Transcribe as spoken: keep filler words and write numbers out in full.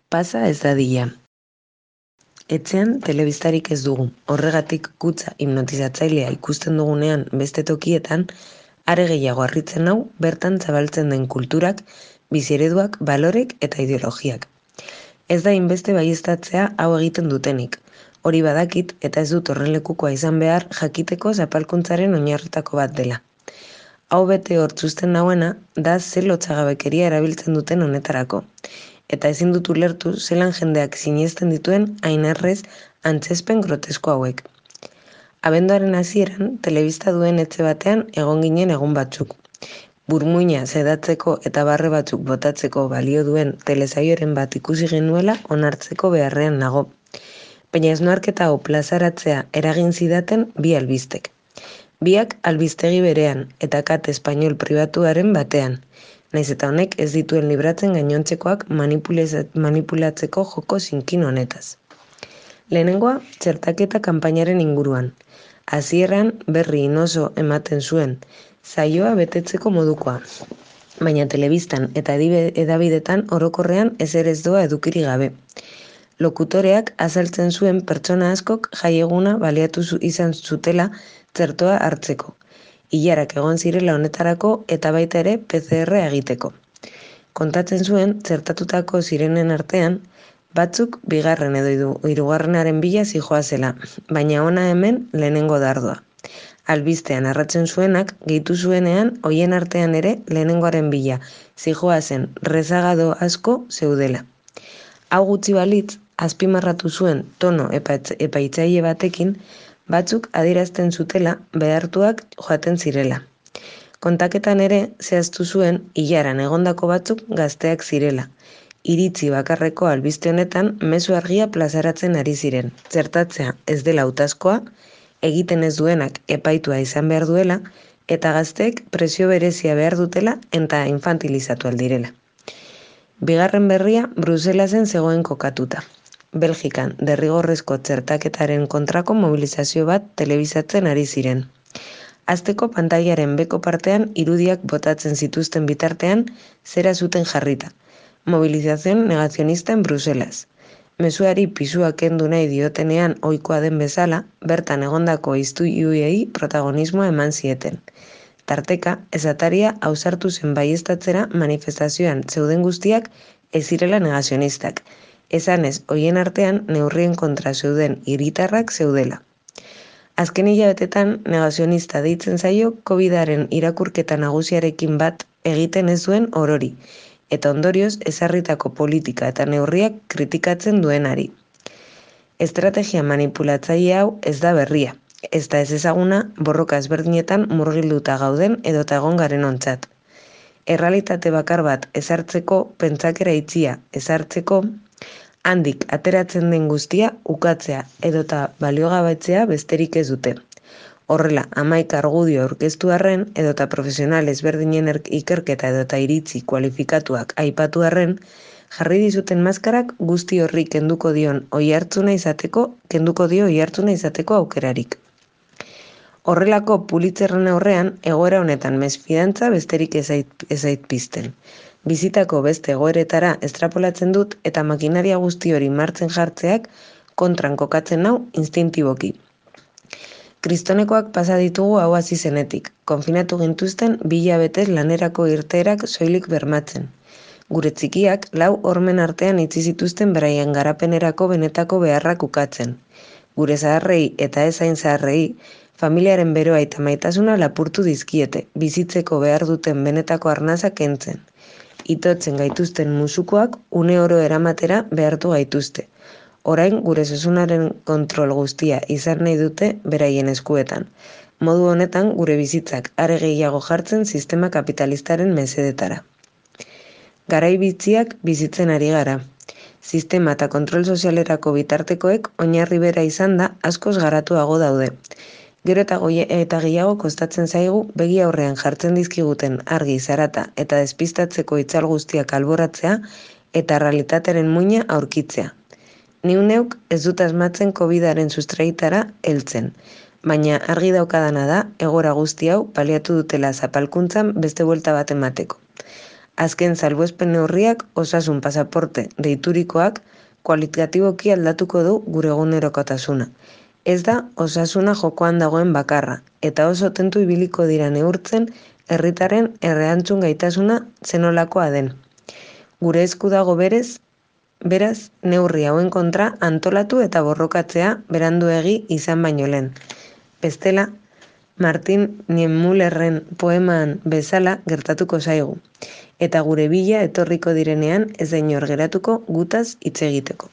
Pasa ez dadila. Etxean telebistarik ez dugu, horregatik kutxa hipnotizatzailea ikusten dugunean beste tokietan, are gehiago harritzen nau bertan zabaltzen den kulturak, biziereduak, balorek eta ideologiak. Ez da inbeste baieztatzea hau egiten dutenik. Hori badakit eta ez dut horren lekukoa izan behar jakiteko zapalkuntzaren oinarritako bat dela. Hau bete hortzuzten nauena da ze lotsagabekeria erabiltzen duten honetarako. Eta ezin dut ulertu zelan jendeak sinesten dituen ainarrez antzespen grotesko hauek. Abenduaren hasieran telebista duen etxe batean egon ginen egun batzuk. Burmuina sedatzeko eta barre batzuk botatzeko balio duen telesaioren bat ikusi genuela onartzeko beharrean nago. Baina esnarketa hau plazaratzea eragin zidaten bi albistek. Biak albistegi berean eta kate espainol pribatuaren batean. Naiz eta honek ez dituen libratzen gainontzekoak manipulatzeko joko zinkin honetaz. Lehenengoa, txertaketa kanpainaren inguruan. Hasieran berri inoso ematen zuen, saioa betetzeko modukoa. Baina telebistan eta edabidetan orokorrean ezer ez doa edukiri gabe. Lokutoreak azaltzen zuen pertsona askok jaieguna baliatu izan zutela txertoa hartzeko. Ilarak egon zirela honetarako eta baita ere P C R egiteko. Kontatzen zuen, txertatutako zirenen artean, batzuk bigarren edo hirugarrenaren bila zijoazela, baina ona hemen lehenengo dardoa. Albistean arratzen zuenak, gehitu zuenean, hoien artean ere lehenengoaren bila zijoazen rezagado asko zeudela. Hau gutxi balitz, azpimarratu zuen tono epaitzaile batekin, batzuk adierazten zutela behartuak joaten zirela. Kontaketan ere zehaztu zuen ilaran egondako batzuk gazteak zirela. Iritzi bakarreko albiste honetan mezu argia plazaratzen ari ziren. Txertatzea ez dela hautazkoa, egiten ez duenak epaitua izan behar duela, eta gazteek presio berezia behar dutela eta infantilizatu aldirela. Bigarren berria Bruselasen zegoen kokatuta. Belgikan derrigorrezko txertaketaren kontrako mobilizazio bat telebizatzen ari ziren. Azteko pantailaren beko partean irudiak botatzen zituzten bitartean zera zuten jarrita. Mobilizazion negazionista en Bruselas. Mezuari pisua kendu nahi diotenean ohikoa den bezala, bertan egondako istuiuei protagonismoa eman zieten. Tarteka, ezataria ausartu zen baieztatzera manifestazioan zeuden guztiak ez zirela negazionistak. Esanez, hoien artean neurrien kontra zeuden hiritarrak zeudela. Azken hilabetetan negazionista deitzen zaio COVIDaren irakurketa nagusiarekin bat egiten ez duen orori, eta ondorioz ezarritako politika eta neurriak kritikatzen duenari. Estrategia manipulatzaile hau ez da berria, ez da ez ezaguna borroka ezberdinetan murgilduta gauden edota egon garen ontzat. Errealitate bakar bat ezartzeko pentsakera itxia ezartzeko, handik ateratzen den guztia ukatzea edota baliogabetzea besterik ez dute. Horrela, hamaika argudio aurkeztu arren edota profesional ezberdinen ikerketa edota iritzi kualifikatuak aipatu arren, jarri dizuten maskarak guzti horri kenduko dion oihartzuna izateko, kenduko dio oihartzuna izateko aukerarik. Horrelako Pulitzerren aurrean, egoera honetan mesfidantza besterik ez zait pizten. Bizitako beste egoeretara estrapolatzen dut eta makinaria guzti hori martzen jartzeak kontran kokatzen nau instintiboki. Kristonekoak pasa ditugu hau hasi zenetik, konfinatu gintuzten bi hilabetez lanerako irteerak soilik bermatzen. Gure txikiak lau hormen artean itzi zituzten beraien garapenerako benetako beharrak ukatzen. Gure zaharrei eta ez hain zaharrei, familiaren beroa eta maitasuna lapurtu dizkiete, bizitzeko behar duten benetako arnaza kentzen. Itotzen gaituzten musukoak une oro eramatera behartu gaituzte. Orain gure sesunaren kontrol guztia izan nahi dute beraien eskuetan. Modu honetan gure bizitzak are gehiago jartzen sistema kapitalistaren mesedetara. Garai bitziak bizitzen ari gara. Sistema eta kontrol sozialerako bitartekoek oinarri bera izan da askoz garatuago daude. Gero eta, eta gehiago kostatzen zaigu begi aurrean jartzen dizkiguten argi, zarata eta despistatzeko itzal guztiak alboratzea eta realitatearen muina aurkitzea. Niu neuk ez dut asmatzen COVIDaren sustraitara heltzen, baina argi daukadana da egora guzti hau baliatu dutela zapalkuntzan beste buelta bat emateko. Azken salbuespen neurriak osasun pasaporte deiturikoak kualitatiboki aldatuko du gure egunerokotasuna. Ez da osasuna jokoan dagoen bakarra, eta oso tentu ibiliko dira neurtzen herritarren erreantzun gaitasuna zenolakoa den. Gure esku dago berez, beraz, neurri hauen kontra antolatu eta borrokatzea beranduegi izan baino lehen. Bestela, Martin Niemöllerren poeman bezala gertatuko zaigu, eta gure bila etorriko direnean ez da inor geratuko gutaz hitz egiteko.